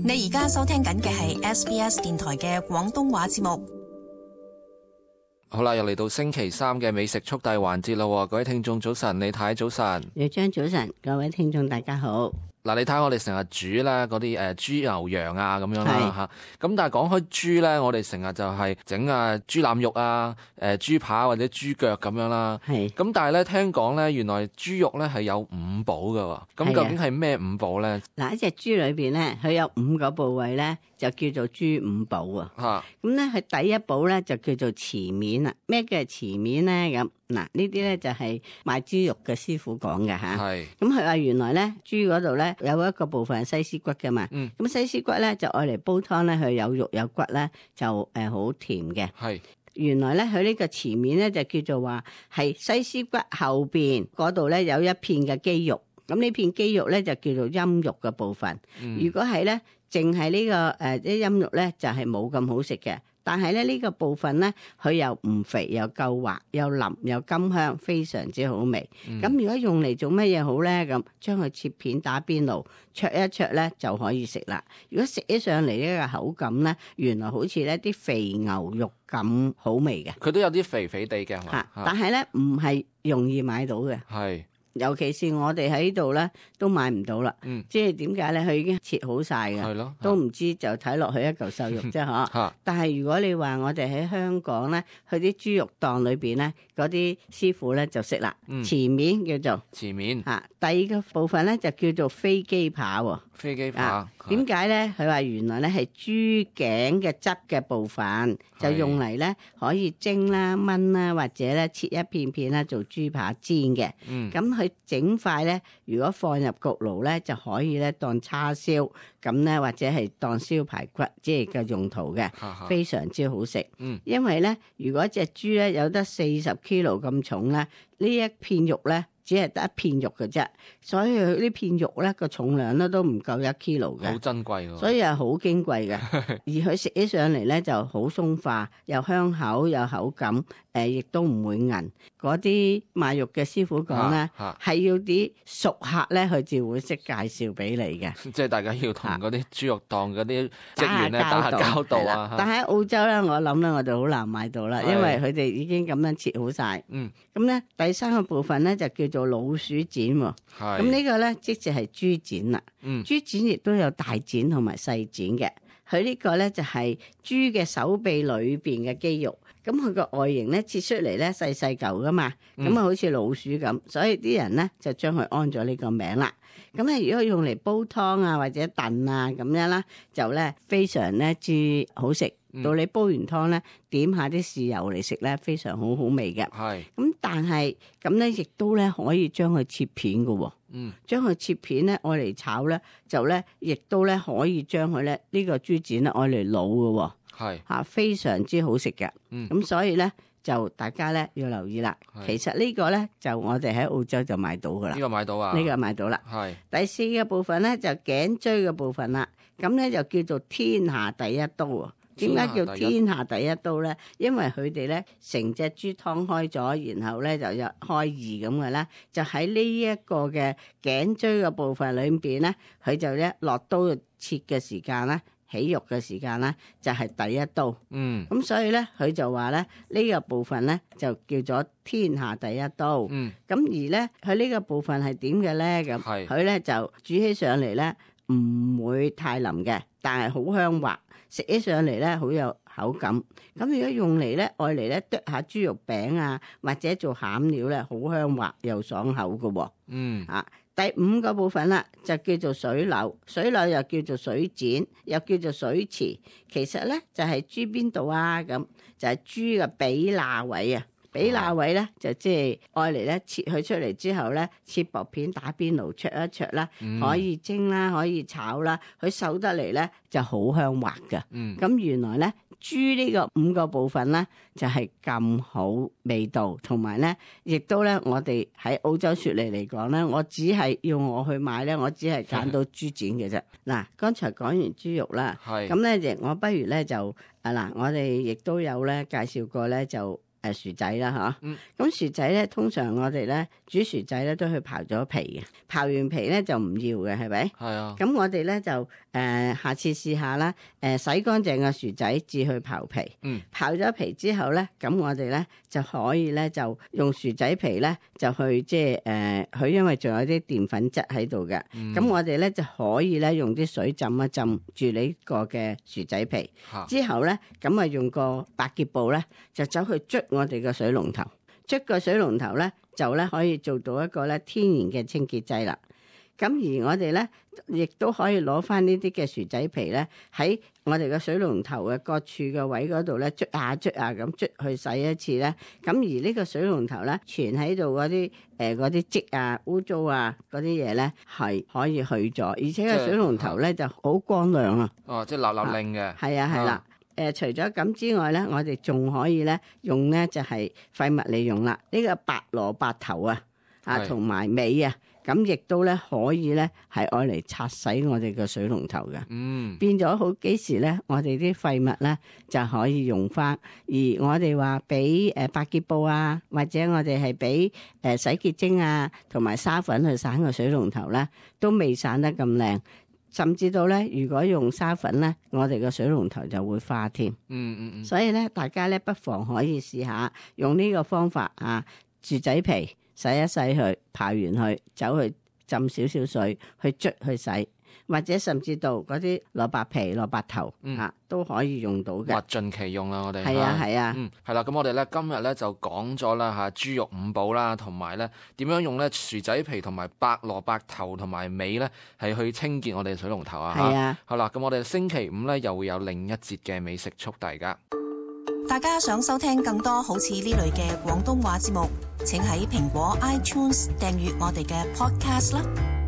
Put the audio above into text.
你而家收聽緊嘅係 SBS 電台嘅廣東話節目。好啦，又嚟到星期三嘅美食速遞環節啦！各位聽眾早晨，李太早晨，李張早晨，各位聽眾大家好。嗱，你睇我哋成日煮咧嗰啲豬牛羊啊咁樣啦嚇，咁但係講開豬咧，我哋成日就係整豬腩肉啊、豬扒或者豬腳咁樣啦。係。咁但係咧聽講咧，原來豬肉咧係有五寶㗎喎。咁究竟係咩五寶咧？嗱，一隻豬裏邊咧，佢有5個部位咧，就叫做豬五寶啊。嚇。咁咧，佢第一寶咧就叫做池面啦。咩叫池面咧？咁嗱，呢啲咧就係賣豬肉嘅師傅講嘅嚇。係。咁佢話原來咧豬嗰度咧有一個部分係西施骨嘅嘛。嗯。咁西施骨咧就愛嚟煲湯咧，佢有肉有骨咧就好甜嘅。係。原來咧佢呢個池面咧就叫做話係西施骨後邊嗰度咧有一片嘅肌肉。咁呢片肌肉咧就叫做陰肉嘅部分。如果係咧淨係呢個啲陰肉咧就係冇咁好食嘅。但係咧呢個部分咧，佢又唔肥又夠滑又腍又甘香，非常之好味。咁如果用嚟做乜嘢好咧？咁將佢切片打邊爐，灼一灼咧就可以食啦。如果食起上嚟呢個口感咧，原來好似咧啲肥牛肉咁好味嘅。佢都有啲肥肥地嘅，係嘛？但係咧唔係容易買到嘅。係。尤其是我哋喺度咧都買唔到啦，即係點解咧？佢已經切好晒嘅，都唔知就睇落去一嚿瘦肉啫嗬。但係如果你話我哋喺香港咧，去啲豬肉檔裏邊咧，嗰啲師傅咧就識啦。前面叫做前面第二個部分咧就叫做飛機扒喎。飛機扒點解咧？佢話原來咧係豬頸嘅汁嘅部分，就用嚟咧可以蒸啦、炆啦，或者咧切一片片啦做豬扒煎嘅。咁佢整塊咧，如果放入焗爐咧，就可以咧當叉燒咁咧，或者係當燒排骨即係嘅用途嘅，非常之好食。因為咧，如果隻豬咧有得40 kilo 咁重咧，呢一片肉咧，只係得一片肉嘅啫，所以佢呢片肉咧個重量咧都唔夠1 kilo 嘅，好珍貴喎。所以係好矜貴嘅。而佢食起上嚟咧就好鬆化，又香口又口感，亦都唔會韌。嗰啲賣肉嘅師傅講咧，係要啲熟客咧，佢至會識介紹俾你嘅。即係大家要同嗰啲豬肉檔嗰啲職員咧打下交道啊。但係喺澳洲咧，我諗咧我哋好難買到啦，因為佢哋已經咁樣切好晒。咁咧第三個部分咧就叫做老鼠展喎。咁呢個咧即係豬展啦。豬展亦都有大展同埋細展嘅。佢呢個咧就係豬嘅手臂裏邊嘅肌肉。咁佢個外形咧切出嚟咧細細嚿噶嘛，咁啊好似老鼠咁，所以啲人咧就將佢安咗呢個名啦。咁咧如果用嚟煲湯啊或者燉啊咁樣啦，就咧非常咧之好食。到你煲完湯咧，點下啲豉油嚟食咧，非常好味嘅。係。咁但係咁咧，亦都咧可以將佢切片嘅喎。將佢切片咧，愛嚟炒咧，就咧亦都咧可以將佢咧呢個豬展咧愛嚟滷嘅喎。係。非常之好食嘅。咁所以咧就大家咧要留意啦。其實呢個咧就我哋喺澳洲就買到噶啦。呢個買到啊？呢個買到啦。係。第4個部分咧就頸椎嘅部分啦。咁咧就叫做天下第一刀啊！點解叫天下第一刀咧？因為佢哋咧成隻豬劏開咗，然後咧就有開二咁嘅咧，就喺呢一個嘅頸椎嘅部分裏邊咧，佢就咧落刀切嘅時間咧，起肉嘅時間咧，就係第一刀。咁所以咧，佢就話咧呢個部分咧就叫做天下第一刀。咁而咧佢呢個部分係點嘅咧？咁佢咧就煮起上嚟咧唔會太腍嘅，但係好香滑。食起上嚟咧，好有口感。咁如果用嚟咧，愛嚟咧剁下豬肉餅啊，或者做餡料咧，好香滑又爽口嘅喎。第5個部分啦，就叫做水柳。水柳又叫做水展，又叫做水池。其實咧就係豬邊度啊？咁就係豬嘅髀罅位啊。髀罅位咧就即係愛嚟咧切佢出嚟之後咧，切薄片打邊爐灼一灼啦，可以蒸啦，可以炒啦，佢瘦得嚟咧就好香滑㗎。咁原來咧豬呢個5個部分咧就係咁好味道，同埋咧亦都咧我哋喺澳洲雪梨嚟講咧，我只係要我去買咧，我只係揀到豬展嘅啫。嗱，剛才講完豬肉啦，咁咧我不如咧就嗱，我哋亦都有咧介紹過咧就。薯仔啦嚇，咁薯仔咧通常我哋咧煮薯仔咧都去刨咗皮嘅，刨完皮咧就唔要嘅，係咪？係啊。咁我哋咧就下次試下啦。洗乾淨嘅薯仔至去刨皮。刨咗皮之後咧，咁我哋咧就可以咧就用薯仔皮咧就去即係佢因為仲有啲澱粉質喺度嘅。咁我哋咧就可以咧用啲水浸一浸住呢個嘅薯仔皮。之後咧咁啊用個百潔布咧就走去捽我哋嘅水龍頭。捽個水龍頭咧就咧可以做到一個咧天然嘅清潔劑啦。咁而我哋咧亦都可以攞翻呢啲嘅薯仔皮咧喺我哋嘅水龍頭嘅各處嘅位嗰度咧捽下咁捽去洗一次咧。咁而呢個水龍頭咧存喺度嗰啲漬啊污糟啊嗰啲嘢咧係可以去咗，而且個水龍頭咧就好光亮啊。哦，即係立立令嘅。係啊，係啦。除咗咁之外咧，我哋仲可以咧用咧就係廢物利用啦。呢個白蘿蔔頭啊同埋尾啊。咁亦都咧可以咧係愛嚟擦洗我哋嘅水龍頭嘅。變咗好幾時咧，我哋啲廢物咧就可以用翻。而我哋話俾百潔布啊，或者我哋係俾洗潔精啊，同埋沙粉去散個水龍頭咧，都未散得咁靚。甚至到咧，如果用沙粉咧，我哋個水龍頭就會花添。所以咧，大家咧不妨可以試下用呢個方法啊，薯仔皮。洗一洗佢，刨完佢，走去浸少少水去捽去洗，或者甚至到嗰啲蘿蔔皮、蘿蔔頭都可以用到嘅，物盡其用啦！我哋係啊，係啦。咁我哋咧今日咧就講咗啦嚇豬肉五寶啦，同埋咧點樣用咧薯仔皮同埋白蘿蔔頭同埋尾咧係去清潔我哋水龍頭啊！係啊，好啦，咁我哋星期五咧又會有另一節嘅美食速遞㗎。大家想收聽更多好似呢類嘅廣東話節目，請喺蘋果 iTunes 訂閱我哋嘅 podcast 啦。